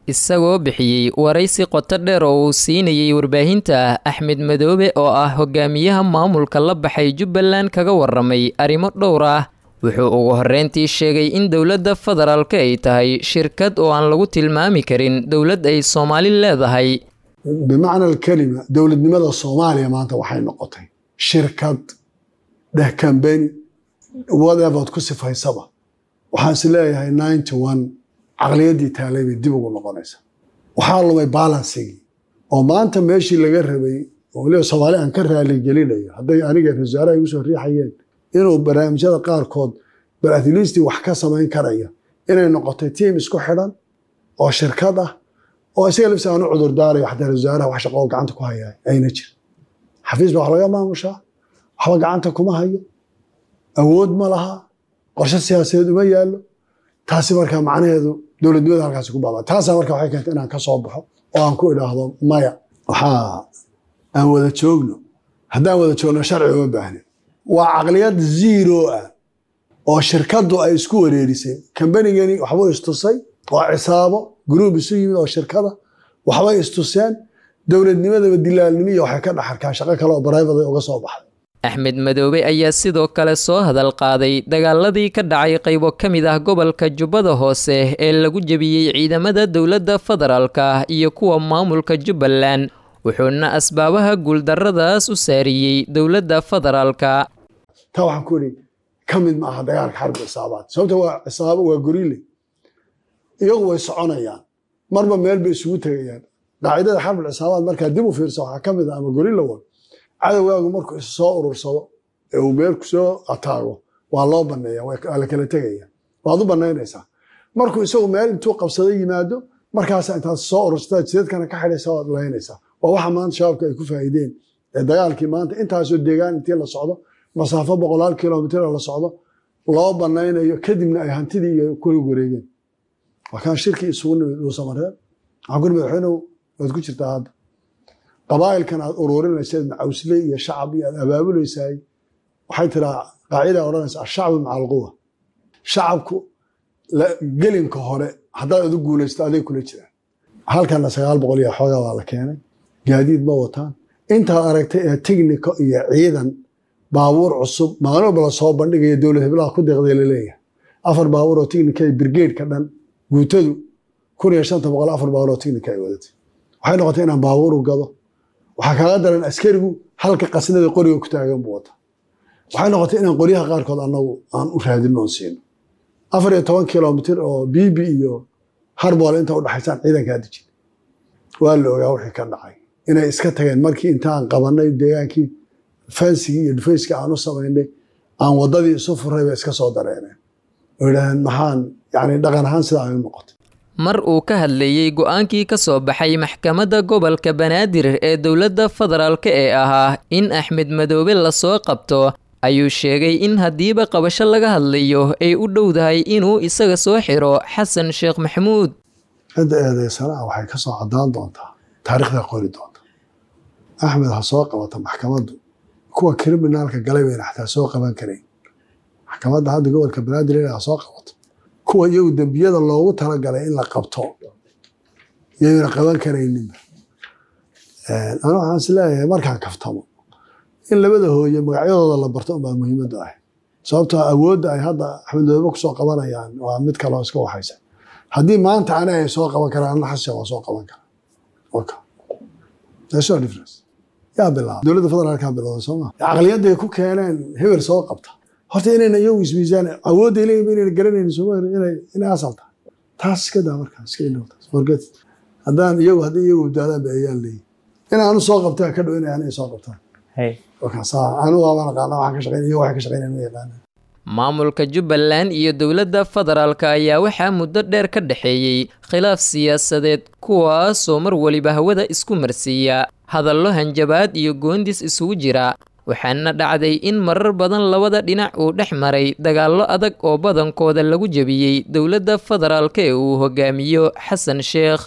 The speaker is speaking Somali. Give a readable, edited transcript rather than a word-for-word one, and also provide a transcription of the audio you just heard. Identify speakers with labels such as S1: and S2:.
S1: Isagoo bixiyey waraysi qoto dheer oo uu siinayey warbaahinta, Axmed Madoobe oo ah hogaamiyaha maamulka la baxay Jubbaland kaga waramay arrimo dhowr ah. Wuxuu ugu horreyntii sheegay in dowladda federaalka ay tahay shirkad oo aan lagu tilmaami karin dowlad ay Soomaali leedahay.
S2: Bimacna alkalima, dowladnimada Soomaaliya maanta waxay noqotay shirkad dheh, company, whatever ku sifaysaba. Waxaan is leeyahay 91 caqliyaddii taalay bay dib ugu noqonaysaa. Waxaa lumay balancigii oo maanta meeshii laga rabay, oo weliba Soomaali aan ka raaligelinayo hadday aniga ra-iisul wasaaraha igu soo riixayeen inuu barnaamijyada qaarkood bal at least wax ka samayn karaya, inay noqotay tiim isku xidhan oo shirkad ah oo isaga lafsi aanu cudur daarayo. Xataa ra-iisul wasaaraha wax shaqo oo gacanta ku hayaa ayna jirin. Xafiis baa wax laga maamushaa, waxba gacanta kuma hayo, awood ma laha, qorshe siyaasadeed uma yaallo. Taasi markaa macnaheedu dowladnimada halkaasi ku baaba. Taasaa marka waxay keentay inaan ka soo baxo oo aan ku idhaahdo maya, waxaa aan wada joogno. Haddaan wada joogno sharci uma baahnin. Waa caqliyad zero ah oo shirkaddu ay isku wareerisay. Kambanigani waxbuu istusay, waa cisaabo group isu yimid oo shirkada, waxbay istuseen dowladnimadaba dilaalnimo iyo waxay ka dhex arkaan shaqo kale oo private ay uga soo baxday.
S1: Axmed Madoobe ayaa sidoo kale soo hadal qaaday dagaaladii ka dhacay qaybo ka mid ah gobolka Jubbada Hoose ee lagu jebiyey ciidamada dowladda federaalka iyo kuwa maamulka Jubbaland, wuxuuna asbaabaha guuldarradaas u saariyey dowladda federaalka.
S2: Taa waxaan ku idhi ka mid ma aha dagaalka xarbi cisaabaad, sababta waa cisaabo, waa gorile, iyagu way soconayaan, marba meel bay isugu tegayaan. Qaacidada xarbil cisaabaad markaa dib u fiirsa waxaa ka mid ah, ama guerrilla war, cadowgaagu markuu is soo urursado ee uu meel kusoo ataago waa loo baneeya, waa la kala tegaya, waad u banaynaysaa. Markuu isagu meel intuu qabsado yimaado, markaasa intaad soo urursataa jidadkana ka xidhaysa, waad laynaysaa. Waa waxa maanta shabaabka ay ku faa'iideen ee dagaalkii maanta intaasoo deegaan intii la socdo, masaafo boqolaal kilomitir la socdo, loo banaynayo, kadibna ay hantidii iyo kula wareegeen. Waa kaan shirkii isugu nimid Dhuusamareeb. Waxaan ku madaxweynew, waad ku jirtaa hadda qabaa'ilkan aad ururinayseed, macawsley iyo shacab iyo aad abaabulaysaay. Waxay tiraa qaacida odhanaysa الشعب مع القوة. Shacabku gelinka hore haddaad adu guulaysto aday kula jiraan. Halkana 900 iyo xoogaa baa la keenay, gaadiid ma wataan. Intaad aragtay ee tignico iyo ciidan, baabuur cusub maalin walba la soo bandhigaya, dowlad heblaha ku deeqday laleeyahay, afar baabuur oo tignica iyo brigade-ka dhan guutadu 1500 afar baabuur oo tignica ay wadatay. Waxay noqotay inaan baabuur u gado. Waxaa kaaga daran askarigu halka qasnada qoriga ku taagan buu wataa. Waxay noqotay inaan qoryaha qaarkood annagu aan u raadino oon siino. 14 kilomitir oo Biibi iyo Harboole inta udhaxaysaan ciidankaa dejin. Waa la ogaa wixii ka dhacay, inay iska tageen markii intaan qabanay deegaankii, fensigii iyo dhufayskii aan u samaynay, aan waddadii isu furay, bay iska soo dareeneen oo yidhahdeen maxaan yani dhaqan ahaan sidaa ay u noqotay.
S1: Mar uu ka hadlayey go-aankii ka soo baxay maxkamadda gobolka Banaadir ee dowladda federaalka ee ahaa in Axmed Madoobe lasoo qabto, ayuu sheegay in haddiiba qabasho laga hadlayo ay u dhowdahay inuu isaga soo xiro Xasan Sheekh Maxamuud.
S2: Cidda eedeysana ah waxay ka soo caddaan doontaa taariikhdaa qori doonta. Axmed ha soo qabata maxkamaddu, kuwa criminalka galay bayna xataa soo qaban karayn. Maxkamadda hadda gobolka Banaadir inay ha soo qabato kuwa iyagu dembiyada loogu talagalay in la qabto iyayna qaban karayninba. Anu waxaan is leeyahay markaan kaftamo in labada hooye magacyadooda la barto unbaa muhiimaddu ah, sababtoo awoodda ay hadda Axmed Madoobe kusoo qabanayaan waa mid kaloo iska waxaysa. Haddii maanta ani ay soo qaban karaan, anna Xasan waa soo qaban karaa. Okay. There's no difference. Yaa bilaabay? Dowladda federaalkaa bilowday, soo ma caqliyadday ku keeneen hebel soo qabta? Horta inayna iyagu ismiisaan awoodda leeyihin inayna garanaynin sooma inay asal tahay. Taas iska daa, markaa iska ilow taas, forget it. Haddaan iyagu haddii iyagu badbaadaan ba ayaan leeyihin in aanu soo qabtaa ka dhow inay ani soo qabtaan. Saa anu waabaan aqaana waxaan ka shaqeyn, iyagu waxay ka shaqeynayaan ma yaqaanaan.
S1: Maamulka Jubbaland iyo dowladda federaalka ayaa waxaa muddo dheer ka dhexeeyey khilaaf siyaasadeed, kuwaasoo mar waliba hawada isku marsiiya hadallo hanjabaad iyo goondis isugu jira. Waxaana dhacday in marar badan labada dhinac uu dhex maray dagaallo adag oo badankooda lagu jebiyey dowladda federaalka ee uu hogaamiyo Xasan Sheekh.